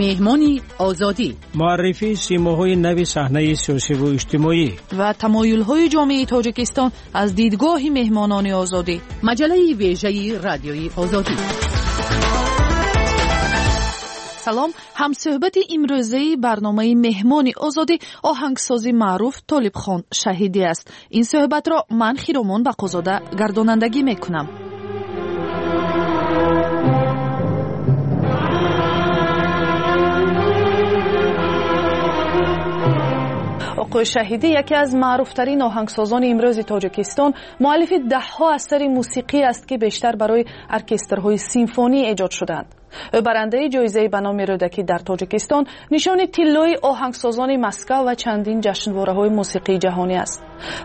Меҳмони Озодӣ. Муаррифии симоҳои нави саҳнаи сиёсиву иҷтимоӣ ва тамоюлҳои ҷомеаи Тоҷикистон аз дидгоҳи меҳмонони Озодӣ. Маҷаллаи вежаи Радиои Озодӣ. Салом. Ҳамсӯҳбати имрӯзаи барномаи Меҳмони Озодӣ оҳангсози маъруф Толибхон Шаҳидӣ аст. Ин суҳбатро ман, Хиромон Бақозода, гардонандагӣ мекунам. Оқои Шаҳидӣ яке аз маъруфтарин оҳангсозони имрӯзи Тоҷикистон, муаллифи даҳҳо асари мусиқӣ аст, ки бештар барои оркестрҳои симфонӣ эҷод шудаанд. Ӯ барандаи ҷоизаи ба номи Рӯдакӣ дар Тоҷикистон, нишони тиллои оҳангсозони Москав ва чандин ҷашнвораҳои мусиқии ҷаҳонӣ аст.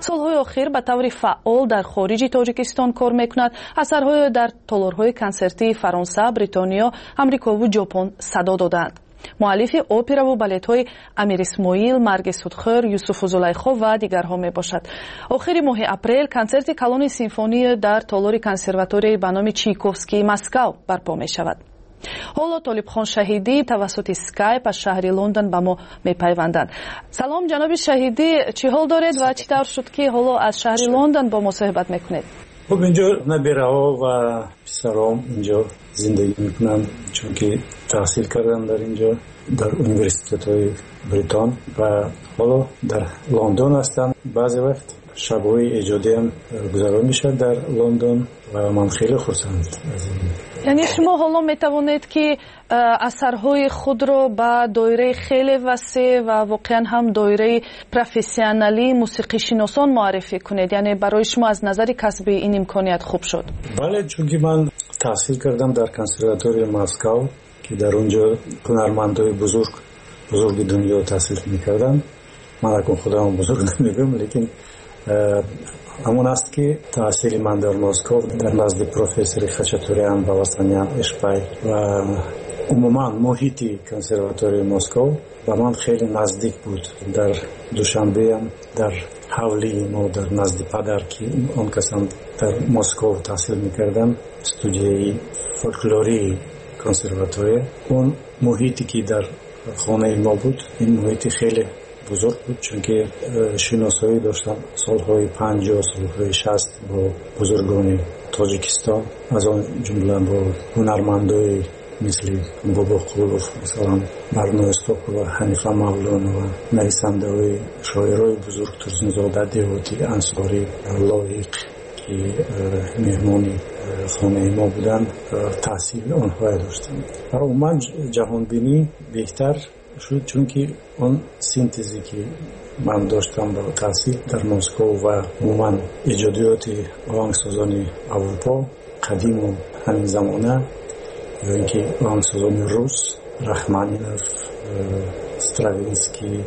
Солҳои охир ба таври фаъол дар хориҷи Тоҷикистон кор мекунад. Асарҳои дар толорҳои консертии Фаронса, Бритониё, Амрикову Ҷопон садо додаанд. Муаллифи операву балетҳои Амир Исмоил, Марги судхӯр, Юсуфу Зулайхо ва дигарҳо мебошад. Охири моҳи апрел консерти калони симфонӣ дар толори консерваторияи ба номи Чайковскии Москав барпо мешавад. Ҳоло Толибхон Шаҳидӣ тавассути скайп аз шаҳри Лондон ба мо мепайванданд. Салом, ҷаноби Шаҳидӣ, чӣ ҳол доред ва чӣ тавр шуд, ки ҳоло аз шаҳри Лондон бо мо суҳбат мекунед? Хуб, инҷо набираҳо ва писаром инҷо зиндагӣ мекунанд, чунки таҳсил кардам дар инҷо, дар университетҳои Бритон, ва ҳоло дар Лондон ҳастам. Баъзе вақт шабҳои эҷодиам гузарон мешавад дар Лондон ва ман хеле хурсанд аз ин. Яъне шумо ҳоло метавонед, ки асарҳои худро ба доираи хеле васеъ ва воқеан ҳам доираи профессионалии мусиқишиносон муаррифӣ кунед. Яъне барои шумо аз назари касбӣ ин имконият хуб шуд? Бале, чунки ман таҳсил кардам дар консерваторияи Москав, ки дар он ҷо ҳунармандои бузурги дунё таҳсил мекарданд. Ман акун худам бузург намегӯям, лекин ҳамон аст, ки таҳсили ман дар Москов дар назди профессори Хачатурян, Баласанян, Эшпай ва умуман муҳити консерваторияи Москов ба ман хеле наздик буд. Дар Душанбеам, дар ҳавлии мо, дар назди падар, ки он касам дар Москов таҳсил мекарданд, студияи фольклории консерватория, он муҳите ки дар хонаи мо буд, ин муҳити хеле бузург буд, чунки шиносоӣ доштам солҳои 50, солҳои 60 бо бузургони Тоҷикистон, аз он ҷумла бо ҳунармандои мисли Бобоқулов, масалан, Барно Исҳоқова, Ҳанифа Мавлонова, нависандаҳои шоирои бузург Турсунзода, Деҳотӣ, Ансорӣ, Лоиқ, ки меҳмони хонаи мо буданд, таъсири онҳое доштам. Ва умуман ҷаҳонбинӣ беҳтар шуд, чунки он синтезе ки ман доштам бо таҳсил дар Москов ва умуман эҷодиёти оҳангсозони Аврупо қадиму ҳамин замона, ё ин ки оҳангсозони рус, Рахманинов, Стравинский,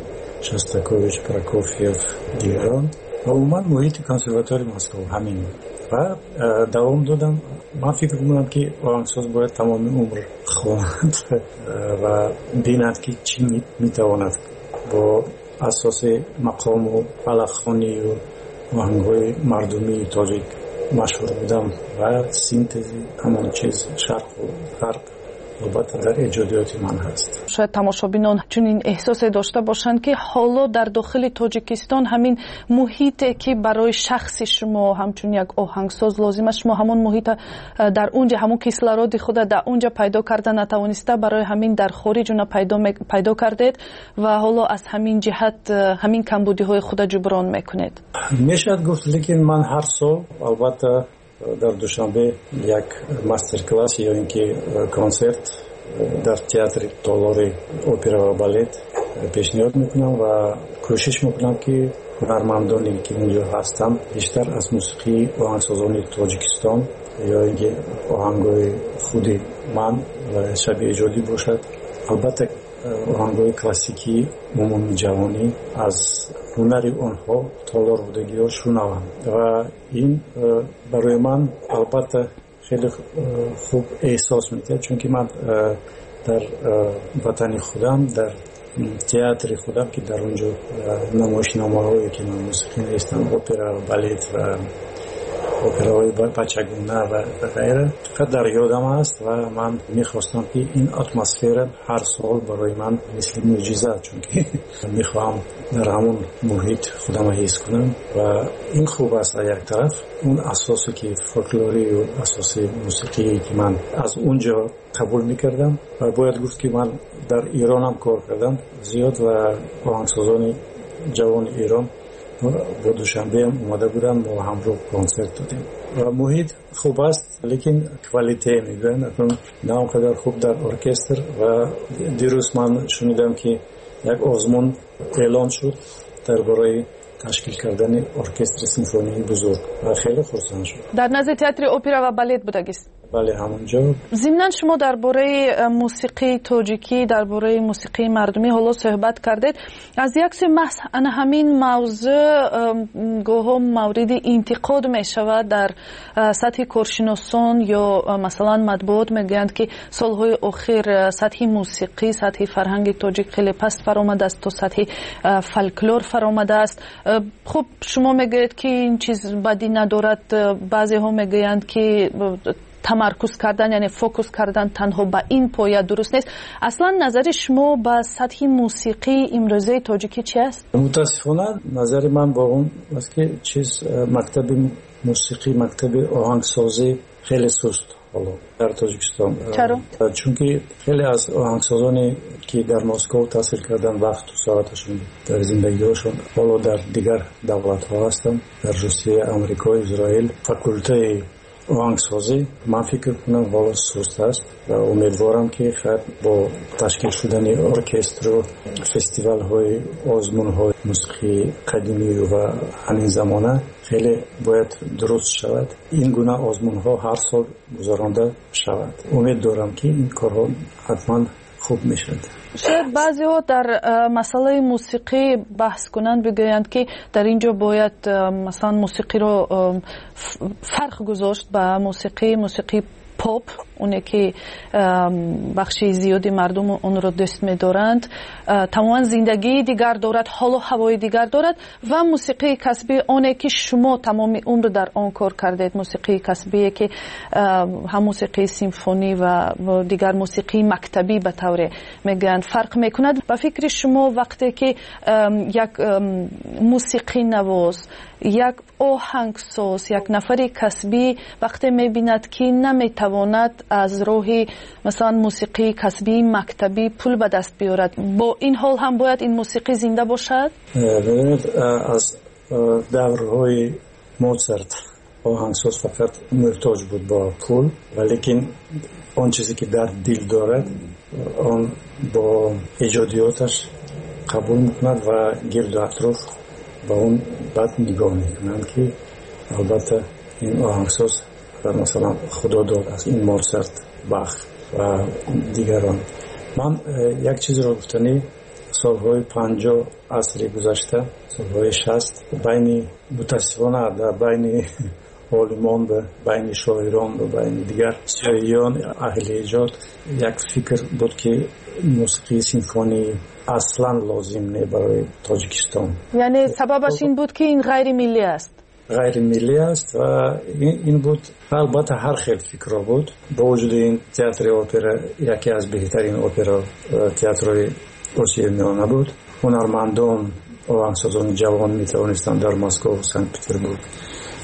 Шостакович, Прокофьев, дигарон, ва умуман муҳити консерваторияи Москов ҳамин ва давом додам. Ман фикр мекунам, ки оҳангсоз бояд тамоми умр хонад ва бинад, ки чӣ метавонад бо асоси мақому фалакхонию оҳангҳои мардумии тоҷик машҳур будам ва синтези ҳамон чиз, шарқу ғарб, албатта дар эҷодиёти ман ҳаст. Шояд тамошобинон чунин эҳсосе дошта бошанд, ки ҳоло дар дохили Тоҷикистон ҳамин муҳите, ки барои шахси шумо ҳамчун як оҳангсоз лозим аст, шумо ҳамон муҳита дар унҷа, ҳамон кислороди худа дар унҷа пайдо карда натавониста, барои ҳамин дар хориҷ уна пайдо кардед ва ҳоло аз ҳамин ҷиҳат ҳамин камбудиҳои худа ҷуброн мекунед. Мешавад гуфт, лекин ман ҳар сол албатта дар Душанбе як мастер-класс ё ин ки консерт дар театри толори опера ва балет пешниҳод мекунам ва кӯшиш мекунам, ки ҳунармандоне ки инҷо ҳастанд, бештар аз мусиқии оҳангсозони Тоҷикистон ё ин ки оҳангҳои худи ман ва шаби эҷодӣ бошад, албатта оҳангҳои классикии умуми ҷаҳонӣ, аз ҳунари онҳо, толор будагиҳо шунаванд. Ва ин барои ман албатта хеле хуб эҳсос медиҳад, чунки ман дар ватани худам, дар театри худам, ки дар он ҷо намоишномаҳое ки ман мусиқӣ навиштам, опера, балет ва операҳои бачагуна ва ғайра фақат дар ёдам аст ва ман мехостам, ки ин атмосфера ҳар сол барои ман мисли мӯъҷиза, чунки мехоҳам дар ҳамон муҳит худамро ҳис кунам. Ва ин хуб аст аз як тараф, он асосе ки фолклорию асоси мусиқие ки ман аз он ҷо қабул мекардам. Ва бояд гуфт, ки ман дар Иронам кор кардам зиёд ва оҳангсозони ҷавони Эрон бо Душанбеам омада буданд, мо ҳамроҳ консерт додем ва муҳит хуб аст, лекин qualité мегӯянд, акнун на он қадар хуб дар оркестр. Ва дирӯз ман шунидам, ки як озмун эълон шуд дар бораи ташкил кардани оркестри симфонии бузург ва хеле хурсанд шуд. Дар назди театри опера ва балет будагист? Бале, ҳамонҷо. Зимнан шумо дар бораи мусиқии тоҷикӣ, дар бораи мусиқии мардумӣ ҳоло суҳбат кардед. Аз як сӯи, маҳз ана ҳамин мавзӯъ гоҳо мавриди интиқод мешавад дар сатҳи коршиносон ё масалан матбуот. Мегӯянд, ки солҳои охир сатҳи мусиқӣ, сатҳи фарҳанги тоҷик хеле паст фаромадааст, то сатҳи фолклор фаромадааст. Хуб, шумо мегӯед, ки ин чиз бадӣ надорад. Баъзеҳо мегӯянд, ки тамаркуз кардан, яъне фокус кардан танҳо ба ин поя дуруст нест. Аслан назари шумо ба сатҳи мусиқии имрӯзаи тоҷикӣ чи аст? Мутаассифона, назари ман бо он аст, ки чиз мактаби мусиқӣ, мактаби оҳангсозӣ хеле суст ҳоло дар Тоҷикистон. Чаро? Чунки хеле аз оҳангсозоне ки дар Москов таҳсил кардан, вақту соаташон дар зиндагиҳошон ҳоло дар дигар давлатҳо ҳастанд, дар Русия, Амрико, Израил. Факултаи оҳангсозӣ, ман фикр кунам, ҳоло суст аст ва умедворам, ки хайр, бо ташкил шудани оркестру фестивалҳои озмунҳои мусиқии қадимию ва ҳамин замона хеле бояд дуруст шавад, ин гуна озмунҳо ҳар сол гузаронда шавад. Умед дорам, ки ин корҳо ҳатман хуб мешавад. Шояд баъзеҳо дар масъалаи мусиқӣ баҳс кунанд, бигӯянд, ки дар ин ҷо бояд масалан мусиқиро фарқ гузошт ба мусиқии поп, оне ки бахши зиёди мардум онро дӯст медоранд, тамоман зиндагии дигар дорад, ҳолу ҳавои дигар дорад, ва мусиқии касбӣ, оне ки шумо тамоми умр дар он кор кардед, мусиқии касбие ки ҳам мусиқии симфонӣ ва дигар мусиқии мактабӣ ба тавре мегӯянд, фарқ мекунад. Ба фикри шумо, вақте ки як мусиқинавоз, як оҳангсоз, як нафари касбӣ вақте мебинад, ки наметавонад аз роҳи масалан мусиқии касбии мактабӣ пул ба даст биёрад, бо ин ҳол ҳам бояд ин мусиқӣ зинда бошад? Бибинед, аз даврҳои Моцарт оҳангсоз фақат муҳтоҷ буд бо пул, валекин он чизе ки дар дил дорад, он бо эҷодиёташ қабул мекунад ва гирду атроф ба он бад нигоҳ мекунанд, ки албатта ин оҳангсоз масалан худо дод аз ин Моцарт, Бах ва дигарон. Ман як чизро гуфтанӣ: солҳои 50 асри гузашта, солҳои 60, байни, мутаассифона, дар байни олимон ва байни шоирон ва байни дигар сиёиён, аҳли эҷод як фикр буд, ки мусиқии симфонӣ аслан лозим не барои Тоҷикистон. Яъне сабабаш ин буд, ки ин ғайримиллӣ аст? Ғайримиллӣ аст ва ин буд. Албатта, ҳар хел фикрҳо буд. Бо вуҷуди ин, театри опера яке аз беҳтарин опера театрҳои Осиёи Миёна буд. Ҳунармандон, оҳангсозони ҷавон метавонистанд дар Москов, Санкт Петербург,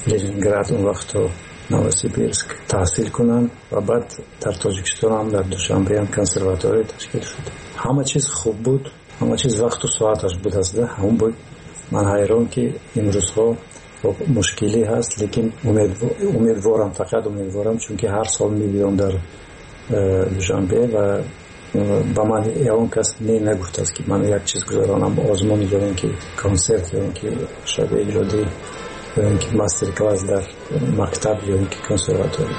Ленинград, он вақтҳо Новосибирск таҳсил кунанд ва баъд дар Тоҷикистонам, дар Душанбеам консерватория ташкил шуд. Ҳама чиз хуб буд, ҳама чиз вақту соаташ буд аст. Ҳамон буд. Ман ҳайрон, ки имрӯзҳо мушкилӣ ҳаст, лекин умедворам, фақат умедворам, чунки ҳар сол мебиём дар Душанбе ва ба ман ягон кас не нагуфтааст, ки ман як чиз гузаронам, озмун ё ин ки консерт, ё ин ки шаби эҷодӣ, ё ин ки мастер класс дар мактаб, ё ин ки консерватория.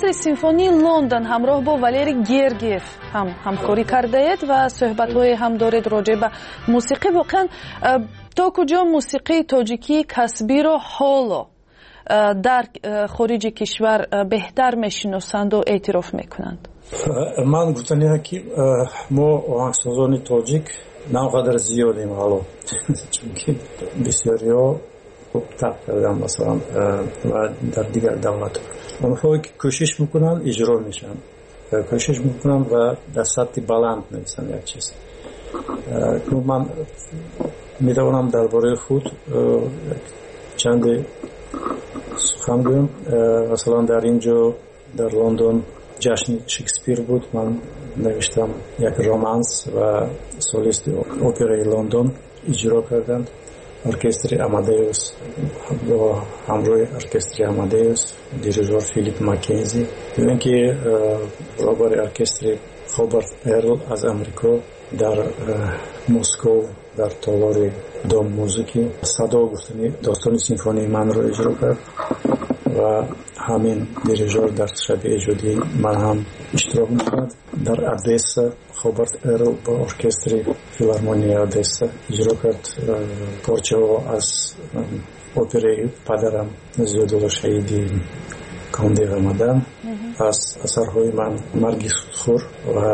Оркестри симфонии Лондон ҳамроҳ бо Валерий Гергиев ҳам ҳамкорӣ кардаед ва суҳбатҳое ҳам доред роҷеъ ба мусиқӣ. Воқеан, то куҷо мусиқии тоҷикии касбиро ҳоло дар хориҷи кишвар беҳтар мешиносанду эътироф мекунанд? Ман гуфтаниам, ки мо оҳангсозони тоҷик на он қадар зиёдем ҳоло, чунки бисёриҳо хуб тарк карданд, масалан, ва дар дигар давлатҳо. Онҳое ки кӯшиш мекунанд, иҷро мешаванд, кӯшиш мекунанд ва дар сатҳи баланд мерасанд як чиз. Ман метавонам дар бораи худ чанде сухан гӯям. Масалан, дар ин ҷо, дар Лондон, ҷашни Шекспир буд. Ман навиштам як романс ва солисти операи Лондон иҷро карданд. Оркестри Амадеус, бо ҳамроҳи оркестри Амадеус, дирижор Филип Маккензи, ин ки роҳбари оркестри Хобарт Эрл аз Амрико дар Москов, дар толори Дом музыки, «Садо» гуфтани достони симфонии манро иҷро кард ва ҳамин дирижор дар шаби эҷодии ман ҳам иштирок мекунад. Дар Одесса Хобарт Эрл бо оркестри филармонияи Одесса иҷро кард порчаҳо аз операи падарам Зиёдулло Шаҳиди «Конде ва Мадам», аз асарҳои ман «Марги судхӯр» ва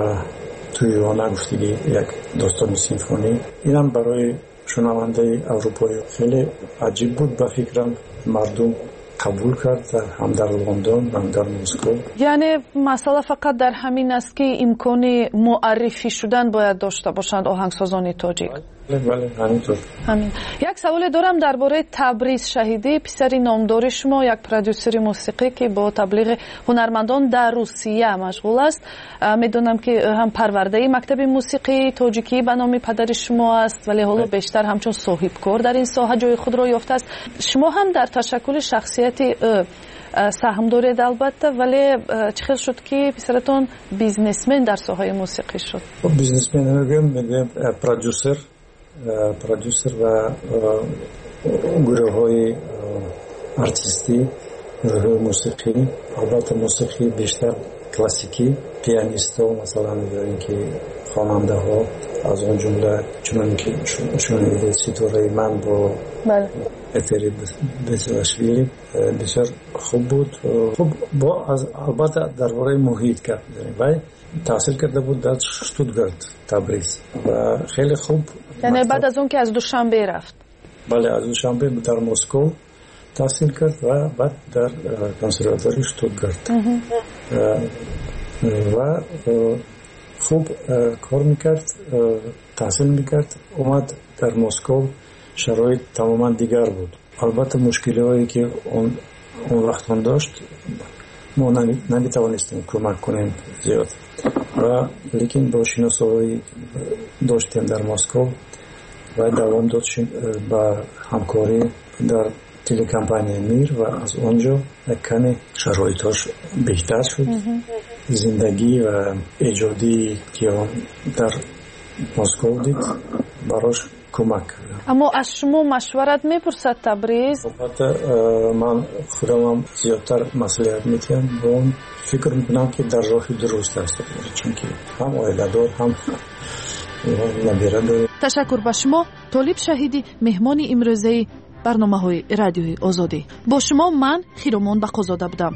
«Тӯйона» гуфтагӣ як достони симфонӣ. Инам барои шунавандаи аврупоӣ хеле аҷиб буд, ба фикрам, мардум қабул кард ҳам дар Лондон, ҳам дар Москва. Яъне масъала фақат дар ҳамин аст, ки имкони муаррифӣ шудан бояд дошта бошанд оҳангсозони тоҷик. Бале, ҳаминтур. Ҳамин. Як саволе дорам дар бораи Табриз Шаҳидӣ, писари номдори шумо, як продюсери мусиқӣ, ки бо таблиғи ҳунармандон дар Русия машғул аст. Медонам, ки ҳам парвардаи мактаби мусиқии тоҷикӣ ба номи падари шумо аст, вале ҳоло бештар ҳамчун соҳибкор дар ин соҳа ҷои худро ёфтааст. Шумо ҳам дар ташаккули шахсияти ӯ саҳм доред, албатта, вале чӣ хел шуд, ки писаратон бизнесмен дар соҳаи мусиқӣ шуд? Бизнесмен намегӯям, мегӯям продюсер ва гурӯҳҳои артистӣ, гурӯҳҳои мусиқӣ, албатта, мусиқии бештар классикӣ, пианистҳо, масалан, ё ин ки хонандаҳо, аз он ҷумла, чуноне ки шунидед, ситораи ман бо Этери Бесилашвили бисёр хуб буд. Хуб, бо албатта дар бораи муҳит гап мезанем. Вай таҳсил карда буд дар Штутгарт, Табриз, ва хеле хуб. Яъне баъд аз он ки аз Душанбе рафт? Бале, аз Душанбе дар Москов таҳсил кард ва баъд дар консерватории Штутгарт ва хуб кор мекард, таҳсил мекард. Омад дар Москов, шароит тамоман дигар буд. Албатта, мушкилиҳое ки он вақт он дошт, мо наметавонистем кӯмак кунем зиёд, ва лекин бо шиносоҳое доштем дар Москов ва давом дод ба ҳамкорӣ дар телекомпанияи Мир ва аз он ҷо як каме шароитҳош беҳтар шуд. Зиндагӣ ва эҷодии ки он дар Москов дид, барош кӯмак кард. Аммо аз шумо машварат мепурсад Табриз? Албатта, ман худамам зиёдтар маслиҳат медиҳам бо он. Фикр мекунам, ки дар роҳи дуруст аст, чунки ҳам оиладор, ҳам набира дорем. Ташаккур ба шумо, Толиб Шаҳидӣ, меҳмони имрӯзаи барномаҳои Радиои Озодӣ. Бо шумо ман, Хиромон Бақозода, будам.